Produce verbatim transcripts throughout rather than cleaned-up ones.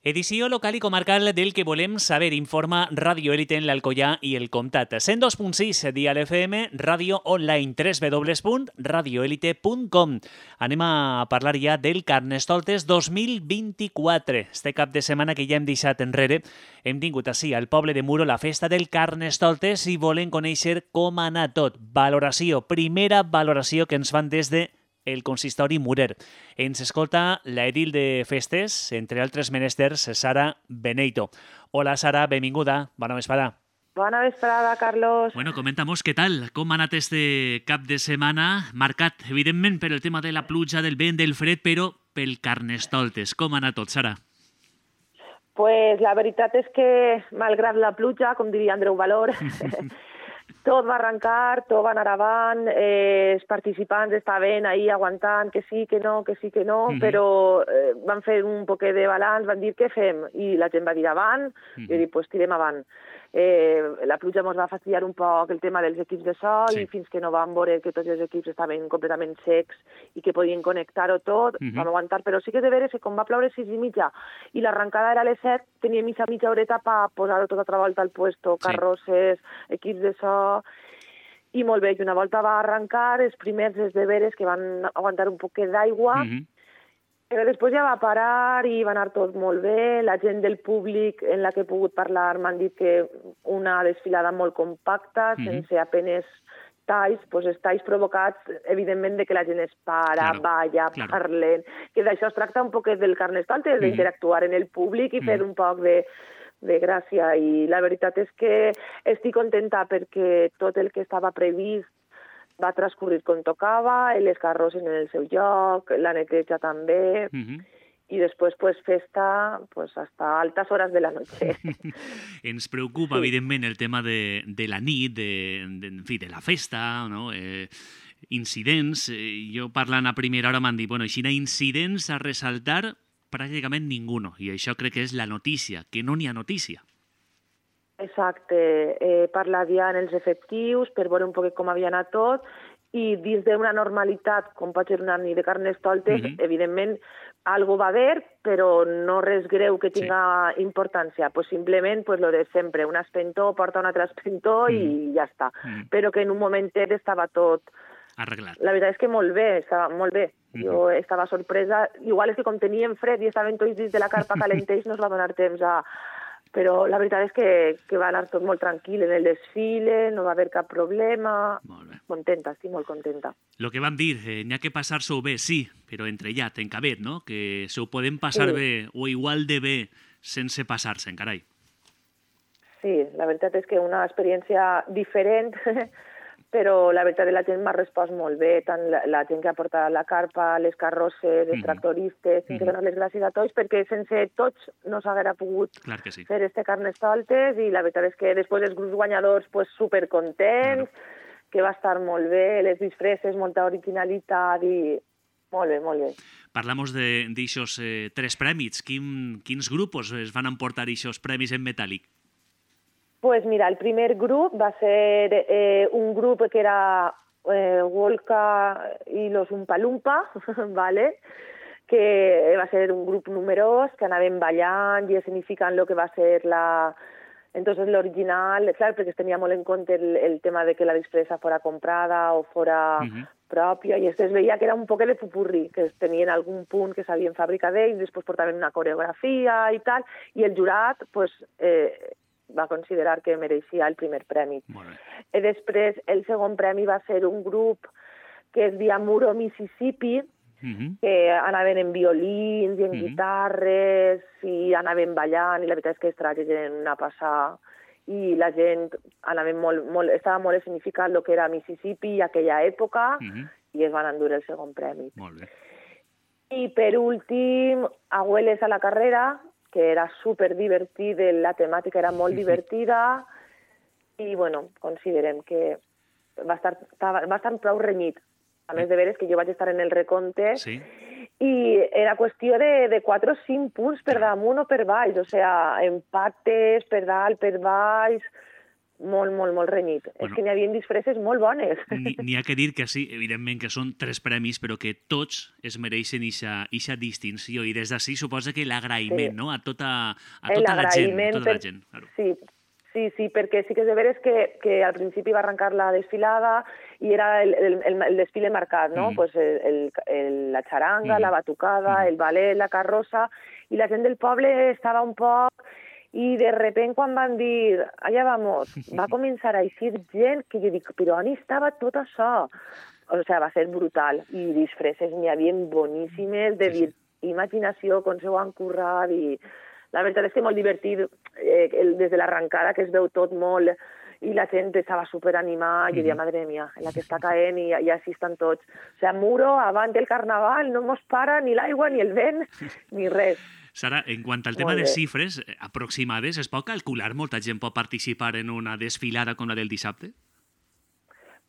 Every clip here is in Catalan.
Edició local i comarcal del que volem saber, informa Radio Élite en l'Alcoià i el Comtat. cent dos punt sis, Dial F M, ràdio online, w w w punt radio elite punt com. Anem a parlar ja del Carnestoltes dos mil vint-i-quatre. Este cap de setmana que ja hem deixat enrere, hem tingut així al poble de Muro la festa del Carnestoltes i volem conèixer com ha anat tot. Valoració, primera valoració que ens fan des de el consistori Murer. Ens escolta l'edil de festes, entre altres menesters, Sara Beneito. Hola, Sara, benvinguda. Bona vesprada. Bona vesprada, Carlos. Bueno, comentamos què tal, com ha anat este cap de setmana, marcat, evidentment, per el tema de la pluja, del vent, del fred, però pel Carnestoltes. Com ha anat tot, Sara? Pues la veritat és que, malgrat la pluja, com diria Andreu Valor, tot va arrencar, tot va anar avant, eh, els participants estaven ahí aguantant que sí, que no, que sí, que no, mm-hmm. però eh, van fer un poquet de balanç, van dir què fem? I la gent va dir avant, mm-hmm. i jo dic, pues tirem avant. Eh, la pluja ens va fastidiar un poc el tema dels equips de so sí. i fins que no vam veure que tots els equips estaven completament secs i que podien connectar-ho tot, mm-hmm. vam aguantar, però sí que de veres que com va ploure sis i mitja i l'arrencada era a les set, tenia mitja mitja horeta per posar-ho tot altra volta al puesto, carrosses, sí. equips de so, i molt bé, i una volta va arrencar, els primers els deberes que van aguantar un poquet d'aigua, mm-hmm. però després ja va parar i va anar tot molt bé. La gent del públic en la que he pogut parlar m'han dit que una desfilada molt compacta, mm-hmm. sense apenes talls, doncs els talls provocats, evidentment, de que la gent es para, claro, balla, claro. parlen, que d'això es tracta un poquet del Carnestoltes, mm-hmm. d'interactuar en el públic i mm-hmm. fer un poc de... de gràcia, i la veritat és que estic contenta perquè tot el que estava previst va transcurrir com tocava, les carrosses en el seu lloc, la neteja també, mm-hmm. i després pues, festa pues, hasta altas horas de la noche. Ens preocupa, sí. evidentment, el tema de, de la nit, de, de, en fi, de la festa, no? Eh, incidents. Eh, jo parlant a primera hora m'han dit, bueno, així incidents a ressaltar pràcticament ninguno, i això crec que és la notícia, que no n'hi ha notícia. Exacte, he parlat ja en els efectius per veure un poc com havia anat tot, i dins d'una normalitat, com pot ser una nit de Carnestoltes, mm-hmm. evidentment, algo va haver, però no res greu que tinga sí. importància, pues simplement pues, lo de sempre, un espentó porta un altre espentó mm. i ja està, mm. però que en un momentet estava tot arreglat. La veritat és que molt bé, estava molt bé. Mm-hmm. Jo estava sorpresa. Igual és que com teníem fred i estaven tots dins de la carpa calenteix, no es va donar temps a... Però la veritat és que, que va anar tot molt tranquil en el desfile, no va haver cap problema. Molt bé. Contenta, estic molt contenta. Lo que vam dir, eh, n'hi ha que passar-s'ho bé, sí, però entre ja, ten que haver, no? Que s'ho podem passar sí. bé o igual de bé sense passar-se'n, carai. Sí, la veritat és que una experiència diferent... però la veritat és que la gent m'ha respost molt bé, tant la, la gent que ha portat la carpa, les carrosses, els mm-hmm. tractoristes, mm-hmm. que donar les gràcies a tots, perquè sense tots no s'haguera pogut sí. fer este Carnestoltes, i la veritat és que després els grups guanyadors pues, supercontents, claro. que va estar molt bé, les disfresses, molta originalitat, i molt bé, molt bé. Parlamos d'aixòs eh, tres prèmits. Quin, quins grups es van emportar aquests premis en metàl·lic? Pues mira, el primer grup va ser eh, un grup que era eh, Wolka y los Umpa Lumpa, ¿vale? Que va ser un grup numerós, que anaven ballant i escenificant el que va ser la... Entonces l'original, clar, perquè es tenia molt en compte el, el tema de que la disfressa fora comprada o fora uh-huh. pròpia, i es veia que era un poc de pupurri, que tenien algun punt que s'havien fabricat d'ells, després portaven una coreografia i tal, i el jurat, pues... Eh, va considerar que mereixia el primer premi. I després, el segon premi va ser un grup que es deia Muro, Mississippi, mm-hmm. que anaven en violins i en mm-hmm. guitarres i anaven ballant, i la veritat és que es tragien a passar, i la gent anaven molt, molt, estava molt significat el que era Mississippi i aquella època, mm-hmm. i es van endur el segon premi. Molt bé. I per últim, Abueles a la carrera, que era super divertit, la temàtica era molt divertida, i, bueno, considerem que va estar, va estar prou renyit. A més de veres que jo vaig estar en el recompte, sí. i era qüestió de, de quatre o cinc punts per damunt o per baix, o sigui, empates per dalt, per baix, molt, molt, molt renyit. Bueno, és que n'hi havia disfresses molt bones. N'hi ha que dir que sí, evidentment que són tres premis, però que tots es mereixen eixa distinció, i des d'ací suposa que l'agraïment, sí, no?, a tota, a tota la gent. A tota per... la gent, claro. Sí, sí, sí, perquè sí que és de veres que, que al principi va arrencar la desfilada i era el, el, el, el desfile marcat, no? Mm. Pues el, el, el, la xaranga, mm. la batucada, mm. el ballet, la carrossa, i la gent del poble estava un poc... I de repente quan van dir, allà vamos, va començar a eixir gent que jo dic, però on estava tot això? O sigui, va ser brutal. I disfresses n'hi havia boníssimes, de dir, imaginació, com s'ho han currat, i la veritat és que molt divertit, eh, el, des de l'arrencada, que es veu tot molt, i la gent estava superanimada, i jo deia, madre mía, en la que està caent, i, i així estan tots. O sigui, muro, avant del carnaval, no mos para ni l'aigua, ni el vent, ni res. Sara, en quant al tema de xifres aproximades, es pot calcular molta gent pot participar en una desfilada com la del dissabte?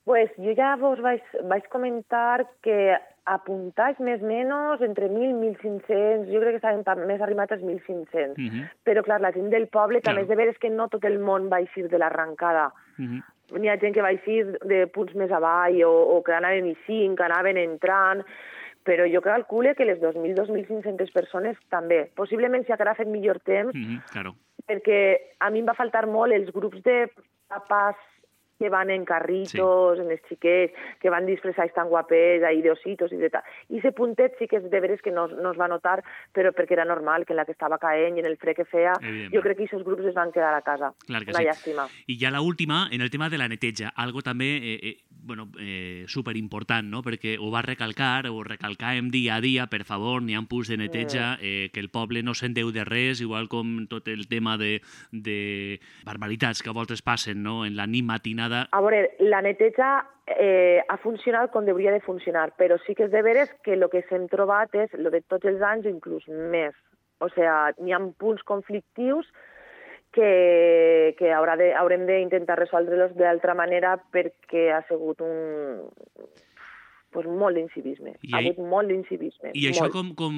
Pues jo ja vos vaig, vaig comentar que apuntats més o menys entre mil i mil cinc-cents, jo crec que estaven més arribats als mil cinc-cents. Uh -huh. Però, clar, la gent del poble claro. També és de veres que no tot el món va eixir de l'arrencada. Uh -huh. N'hi ha gent que va eixir de punts més avall o, o que anaven eixint, que anaven entrant... Però jo calcule que les dos mil a dos mil cinc-centes persones també. Possiblement si encara ha fet millor temps, mm-hmm, claro. Perquè a mi em va faltar molt els grups de papàs que van en carritos, sí. En els xiquets, que van disfressats tan guapets, ahí de ositos i de tal. I ese puntet sí que és de veres que no, no es va notar, però perquè era normal, que en la que estava caent i en el fred que feia, jo crec que aquests grups es van quedar a casa. Clar que Una sí. llàstima. I ja l'última, en el tema de la neteja, algo també eh, eh, bueno, eh, superimportant, no?, perquè ho va recalcar, ho recalcàvem dia a dia, per favor, n'hi ha punts de neteja, eh, que el poble no se'n deu de res, igual com tot el tema de, de barbaritats que a voltes passen, no?, en la nit matinada. A veure, la neteja eh, ha funcionat com hauria de funcionar, però sí que és de veres que el que s'hem trobat és el de tots els anys, inclús més. O sigui, n'hi ha punts conflictius que, que haurà de, haurem d'intentar resoldre-los d'altra manera perquè ha sigut un... pues molt d'incivisme. Ha hagut molt d'incivisme. I això com, com,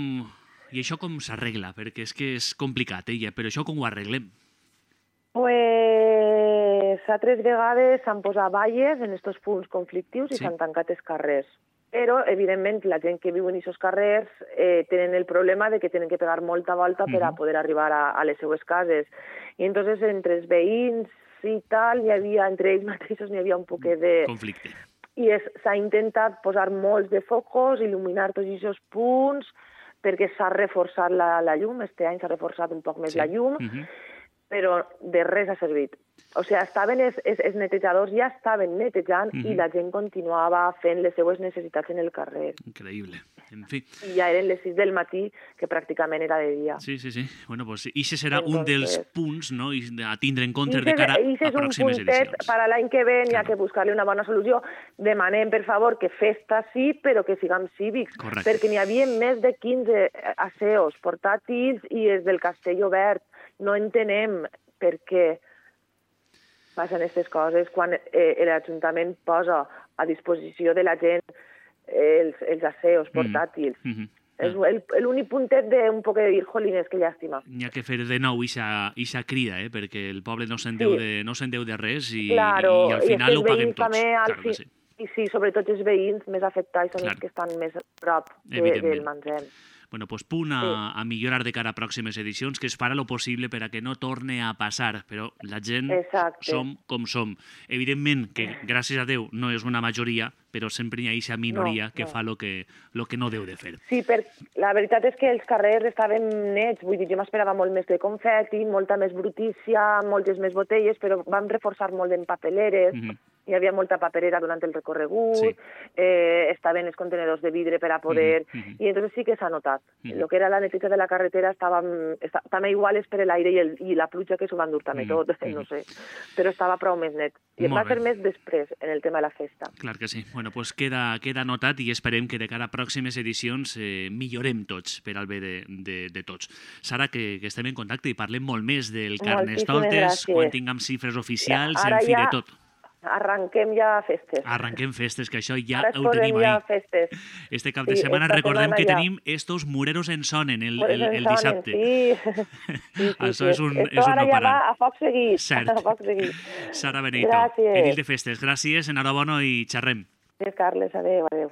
i això com s'arregla? Perquè és que és complicat, eh? Però això com ho arreglem? Pues altres vegades s'han posat valles en aquests punts conflictius i s'han sí. tancat els carrers. Però, evidentment, la gent que viu en aquests carrers eh, tenen el problema de que tenen que pegar molta volta per a poder arribar a, a les seues cases. I entonces entre els veïns i tal, hi havia, entre ells mateixos n'hi havia un poc de... conflicte. I s'ha intentat posar molts de focus, il·luminar tots aquests punts, perquè s'ha reforçat la, la llum, este any s'ha reforçat un poc més sí. la llum, uh-huh. però de res ha servit. O sigui, estaven els, els, els netejadors ja estaven netejant mm-hmm. i la gent continuava fent les seues necessitats en el carrer. Increïble. En fi. I ja eren les sis del matí, que pràcticament era de dia. Sí, sí, sí. Bueno, pues ixe serà Entonces, un dels punts, no?, a tindre en compte de cara a pròximes edicions. Ixe és un puntet per a l'any que ve, n'hi ha que buscar-li una bona solució. Demanem, per favor, que festa sí, però que siguem cívics. Correcte. Perquè n'hi havia més de quinze aseos portàtils i els del castell obert. No entenem per què passen aquestes coses quan eh, l'Ajuntament posa a disposició de la gent eh, els, els aseos portàtils. Mm -hmm. És l'únic puntet d'un poc de dir, jolines, que llàstima. N'hi ha que fer de nou ixa crida, eh, perquè el poble no se'n deu, sí. de, no se'n deu de res i, claro, i al final i ho paguem tots. Claro que sí. I sí, sobretot els veïns més afectats són claro. Els que estan més a prop de, del Manzem. Bueno, pues punt a, sí. a millorar de cara a pròximes edicions, que es farà lo possible per a que no torne a passar, però la gent Exacte. Som com som. Evidentment que, gràcies a Déu, no és una majoria, però sempre hi ha aquesta minoria no, que no. fa el que, lo que no deu de fer. Sí, per, la veritat és que els carrers estaven nets, vull dir, jo m'esperava molt més de confeti, molta més brutícia, moltes més botelles, però vam reforçar molt en papeleres, mm-hmm. hi havia molta paperera durant el recorregut, sí. eh, estaven els contenedors de vidre per a poder... Mm-hmm. I entonces sí que s'ha notat. Mm-hmm. Lo que era la neteja de la carretera estava, estava també igual per l'aire i, el, i la pluja que s'ho van dur també mm-hmm. tot, no sé. Però estava prou més net. I es va fer més després en el tema de la festa. Clar que sí. Bueno, pues queda, queda notat i esperem que de cara a pròximes edicions eh, millorem tots per al bé de, de, de tots. Sara, que, que estem en contacte i parlem molt més del Carnestoltes quan tinguem xifres oficials, ja, en fi, ja... de tot. arranquem ja festes. Arranquem festes, que això ja Ara es ho tenim ja ahí. festes. Este cap de Sí, setmana esta recordem setmana que ja. tenim estos mureros en sonen el, Mureros el, en el sonen, dissabte. Sí, sí, sí, Això sí. és un, Esto és un ara no ja parar. va a foc seguit. Cert. A foc seguit. Sara Benito, Gràcies. edil de festes. Gràcies, enhorabona i xerrem. Gràcies, Carles. Adéu, adéu.